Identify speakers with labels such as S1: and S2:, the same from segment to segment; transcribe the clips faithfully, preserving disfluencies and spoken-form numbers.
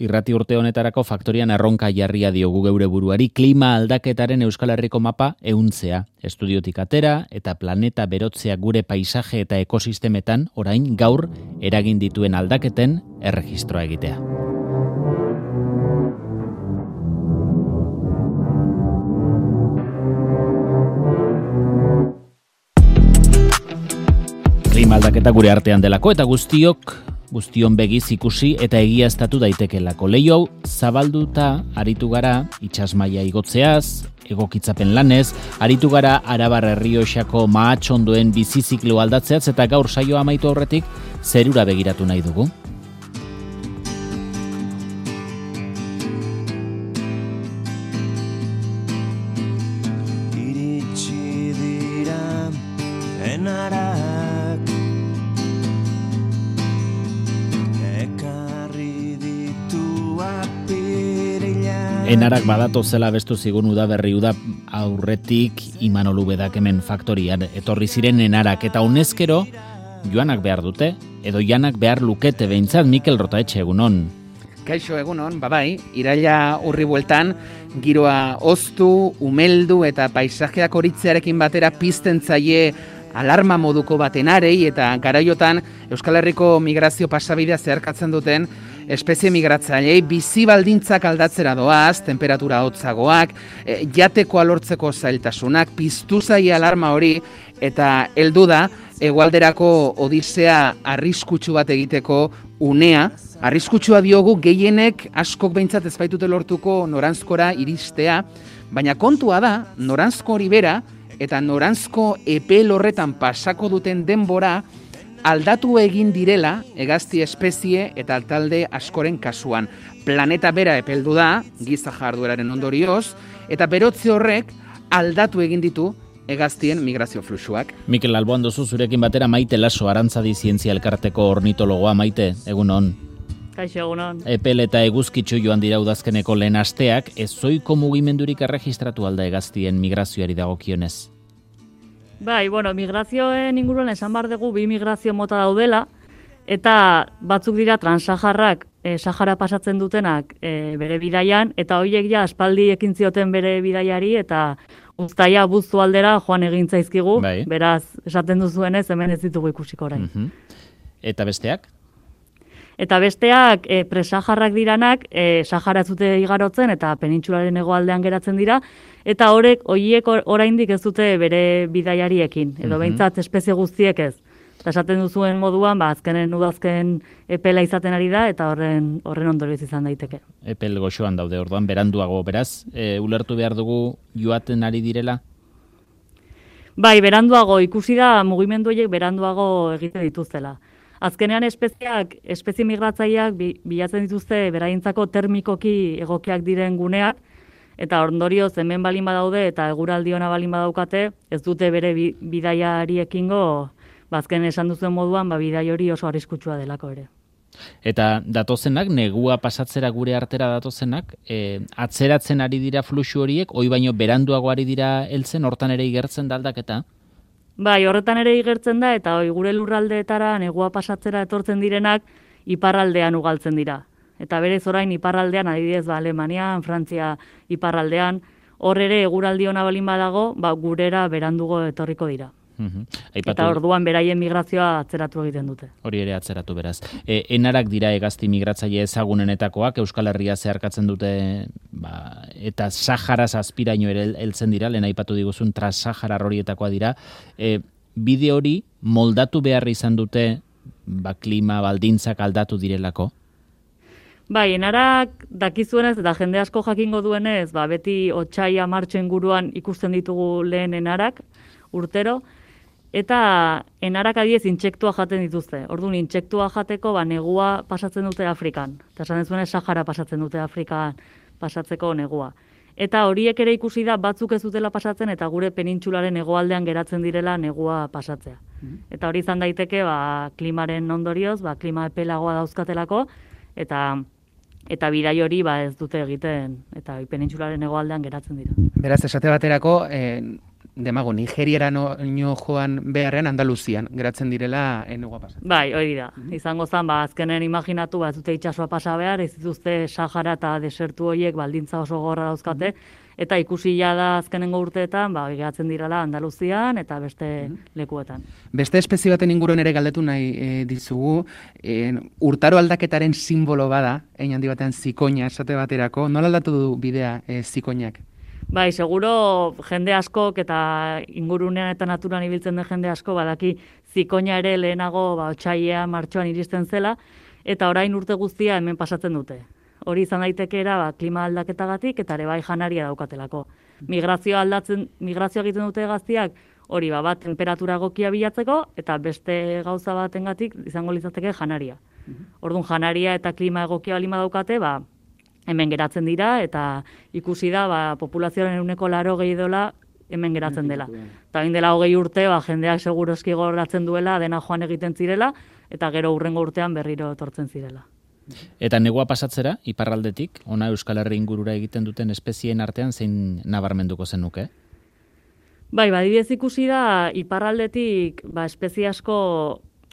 S1: Irrati urte honetarako faktorian erronka jarria diogu geure buruari klima aldaketaren Euskal Herriko mapa ehuntzea. Estudiotik atera eta planeta berotzea gure paisaje eta ekosistemetan orain gaur eragin dituen aldaketen erregistroa egitea. Klima aldaketa gure artean delako eta guztiok guztion begiz ikusi eta egiaztatu daitekelako. Leiho hau zabalduta aritu gara itsasmaila igotzeaz, egokitzapen lanez, aritu gara Arabar Errioxako mahatxondoen biziziklo aldatzeaz eta gaur saioa amaitu aurretik zerura begiratu nahi dugu.
S2: Iritsi dira enarak
S1: Enarak badato zela bestu zigun udaberri uda aurretik Imanol Ubedak hemen faktorian etorri ziren enarak eta honezkero joanak behar dute edo janak behar lukete behintzat. Mikel Rotaetxe, egunon.
S3: Kaixo, egunon, babai, iraila urri bueltan giroa oztu, umeldu eta paisajeak horitzearekin batera pizten zaie alarma moduko batenarei eta garaiotan Euskal Herriko migrazio pasabidea zeharkatzen duten espezie migratzailei bizi baldintzak aldatzera doaz, temperatura hotzagoak, e, jatekoa lortzeko zailtasunak, piztu zaie alarma hori eta heldu da hegoalderako odisea arriskutsu bat egiteko unea. Arriskutsua diogu gehienek askok behintzat ez baitute lortuko noranzkora iristea, baina kontua da noranzko hori bera eta noranzko epel horretan pasako duten denbora aldatu egin direla hegazti espezie eta talde askoren kasuan. Planeta bera epeldu da, giza jardueraren ondorioz, eta berotze horrek aldatu egin ditu hegaztien migrazio fluxuak.
S1: Mikel, alboan duzu zurekin batera Maite Laso, Arantzadi Zientzia Elkarteko ornitologoa. Maite, egunon.
S4: Kaixo, egunon.
S1: Epel eta eguzkitsu joan dira udazkeneko lehen asteak, ez zoiko mugimendurik erregistratu alda hegaztien migrazioari dagokionez?
S4: Bai, bueno, migrazioen inguruan esan bar dugu bi migrazio mota daudela, eta batzuk dira transsaharrak e, Sahara pasatzen dutenak e, bere bidaian, eta horiek ja aspaldi ekin zioten bere bidaiari, eta uztaia buztu aldera joan egin zaizkigu, bai. Beraz, esaten duzuenez, hemen ez ditugu ikusiko orain.
S1: Uh-huh. Eta besteak?
S4: Eta besteak e, presaharrak diranak, e, Sahara ez dute igarotzen eta penintsularen hegoaldean geratzen dira, eta horrek horiek oraindik ez dute bere bidaiariekin, edo behintzat espezie guztiek ez. Eta esaten duzuen moduan, ba, azkenen udazken epela izaten ari da, eta horren horren ondorioz izan daiteke.
S1: Epel goxoan daude orduan, beranduago beraz, e, ulertu behar dugu joaten ari direla?
S4: Bai, beranduago, ikusi da mugimendu horiek beranduago egiten dituztela. Azkenean espeziak, espezie migratzaileak bilatzen dituzte beraintzako termikoki egokiak diren guneak, eta ondorioz hemen balin badaude eta eguraldi ona balin badaukate, ez dute bere bidaiariekingo, bazken esan duzuen moduan, ba, bidai hori oso arriskutsua delako ere.
S1: Eta datozenak, negua pasatzera gure artera datozenak, e, atzeratzen ari dira fluxu horiek, hoi baino beranduago ari dira heltzen, hortan ere igertzen da aldaketa?
S4: Bai, horretan ere igertzen da, eta hoi gure lurraldeetara negua pasatzera etortzen direnak iparraldean ugaltzen dira. Eta berez orain iparraldean, adibidez, ba, Alemanian, Frantzia iparraldean, hor ere eguraldi ona balin badago, ba, gurera berandugo etorriko dira.
S1: Uhum. Aipatu...
S4: Eta orduan beraien migrazioa atzeratu egiten dute.
S1: Hori ere atzeratu beraz. E, enarak dira hegazti migratzaile ezagunenetakoak, Euskal Herria zeharkatzen dute, ba, eta Saharaz azpiraino ere heltzen dira, lehen aipatu diguzun Trans-Saharar horietakoa dira. E, bide hori moldatu behar izan dute, ba, klima baldintzak aldatu direlako?
S4: Bai, enarak dakizuenez eta jende asko jakingo duenez, ba, beti otsaia martxo inguruan ikusten ditugu lehen enarak urtero, eta enarak adiez intsektua jaten dituzte. Orduan, intsektua jateko ba, negua pasatzen dute Afrikan. Eta esan dezuenez, Sahara pasatzen dute Afrikan pasatzeko negua. Eta horiek ere ikusi da batzuk ez dutela pasatzen eta gure penintsularen hegoaldean geratzen direla negua pasatzea. Mm-hmm. Eta hori izan daiteke ba, klimaren ondorioz, ba, klima epelagoa dauzkatelako, eta eta bidai hori ba, ez dute egiten, eta penintsularen hegoaldean geratzen dira.
S3: Beraz, esate baterako, eh, demago Nigeriara no, no joan beharrean Andaluzian geratzen direla negua pasatzen.
S4: Bai, hori da. Izango zen, ba, azkenen imaginatu, ba, ez dute itsasoa pasa behar, ez dituzte Sahara eta desertu horiek baldintza oso gorra dauzkate, eta ikusi ja da azkenengo urteetan, ba, geratzen direla Andaluzian eta beste lekuetan.
S3: Beste espezie baten inguruan ere galdetu nahi e, dizugu, e, urtaro aldaketaren simbolo bada, hein handi batean zikoina esate baterako, nola aldatu du bidea e, zikoinak?
S4: Bai, seguro jende askok eta ingurunean eta naturan ibiltzen den jende asko badaki zikoina ere lehenago ba, otsaia martxoan iristen zela, eta orain urte guztia hemen pasatzen dute. Hori izan daitekeera ba, klima aldaketagatik eta ere bai janaria daukatelako. Migrazioa aldatzen, migrazioa egiten dute gaztiak, hori ba, bat temperatura egokia bilatzeko eta beste gauza batengatik izango litzateke janaria. Orduan janaria eta klima egokia balima daukate, ba, hemen geratzen dira eta ikusi da ba, populazioaren ehuneko laro gehi dola hemen geratzen dela. Eta hain dela hogei urte, ba, jendeak seguroski goratzen duela, dena joan egiten zirela, eta gero hurrengo urtean berriro etortzen zirela.
S1: Eta negua pasatzera, iparraldetik, ona Euskal Herri ingurura egiten duten espezieen artean zein nabarmenduko zenuke?
S4: Bai, badibidez ikusi da, iparraldetik ba, espezie asko,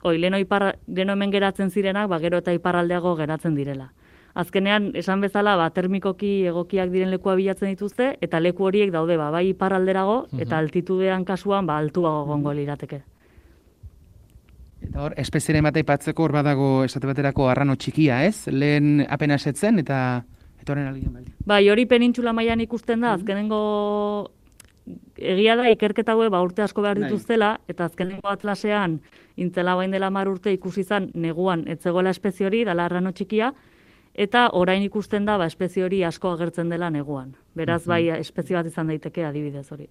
S4: oi, leno, ipar, leno hemen geratzen zirenak, ba, gero eta iparraldeago geratzen direla. Azkenean, esan bezala, ba, termikoki egokiak diren lekua bilatzen dituzte, eta leku horiek daude, ba, bai iparralderago, eta altitudean kasuan, ba, altuago gongo lirateke.
S3: Eta hor, espezieren bat aipatzeko hor badago esate baterako arrano txikia, ez? Lehen apenas etzen eta eta horren algien baldi.
S4: Bai, hori penintxula mailan ikusten da, azkenengo egia da ikerketa hauek ba, urte asko behar dituztela, eta azkenengo atlasean intzela bain dela mar urte ikusi izan neguan etzegoela espezie hori, dala arrano txikia, eta orain ikusten da ba, espezie hori asko agertzen dela neguan. Beraz, bai, espezie bat izan daiteke adibidez hori.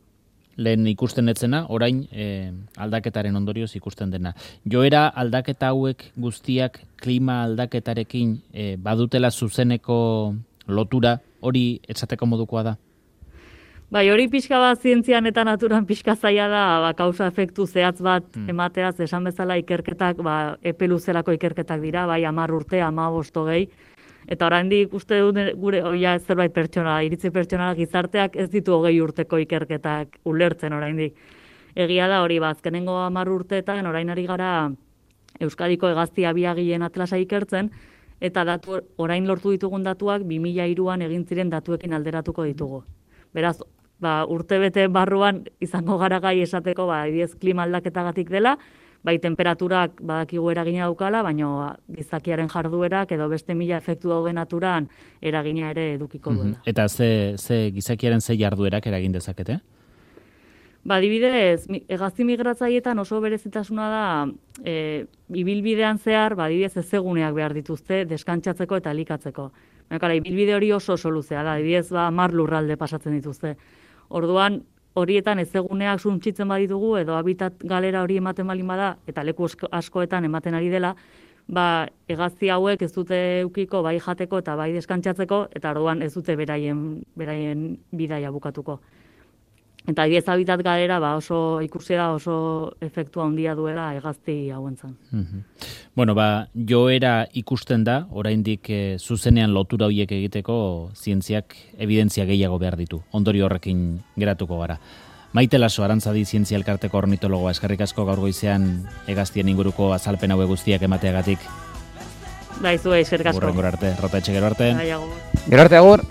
S1: Lehen ikusten etzena, orain e, aldaketaren ondorioz ikusten dena. Joera aldaketa hauek guztiak klima aldaketarekin e, badutela zuzeneko lotura, hori esateko modukoa da?
S4: Bai, hori pixka bat zientzian eta naturan pixka zaila da, ba, kausa efektu zehatz bat hmm. emateaz, esan bezala ikerketak, ba, epe luzelako ikerketak dira, bai, hamar urte, hamabost hogei, eta oraindik uste dut gure oia zerbait pertsona, iritzi pertsonalak gizarteak ez ditu hogei urteko ikerketak ulertzen oraindik. Egia da hori, ba, azkenengo hamar urteetan orain ari gara Euskadiko hegazti abiagileen atlasa ikertzen, eta datu, orain lortu ditugun datuak bi mila hiruan egin ziren datuekin alderatuko ditugu. Beraz, ba, urtebete barruan izango gara gai esateko, ba, adibidez klima aldaketagatik dela, bai temperaturak badakigu eragina daukala, baina gizakiaren jarduerak edo beste mila efektu dauden naturan eragina ere edukiko duela.
S1: Mm-hmm. Eta ze, ze gizakiaren ze jarduerak eragin dezakete?
S4: Ba, adibidez, hegazti migratzaietan oso berezitasuna da, e, ibilbidean zehar, ba, adibidez ezeguneak behar dituzte, deskantsatzeko eta elikatzeko. Baina, ibilbide hori oso oso luzea da, adibidez, ba, mar lurralde pasatzen dituzte. Orduan, horietan ezeguneak suntzitzen baditugu, edo habitat galera hori ematen balin bada, eta leku askoetan ematen ari dela, ba, hegazti hauek ez dute eukiko bai jateko eta bai deskantsatzeko, eta orduan ez dute beraien, beraien bidaia bukatuko. Eta adibidez habitat galera ba, oso ikusi da oso efektua handia duela hegazti hauentzan.
S1: Mm-hmm. Bueno, ba, joera ikusten da, oraindik e, zuzenean lotura horiek egiteko zientziak evidentzia gehiago behar ditu. Ondorio horrekin geratuko gara. Maite Laso, Arantzadi Zientzia Elkarteko ornitologoa, eskerrik asko gaur goizean hegaztien inguruko azalpen haue guztiak emateagatik.
S4: Bai, zuei, eskerrik asko.
S1: Hurrengora arte, Rota Etxe, gero arte.
S4: Bai, agur.
S3: Gero arte, agur.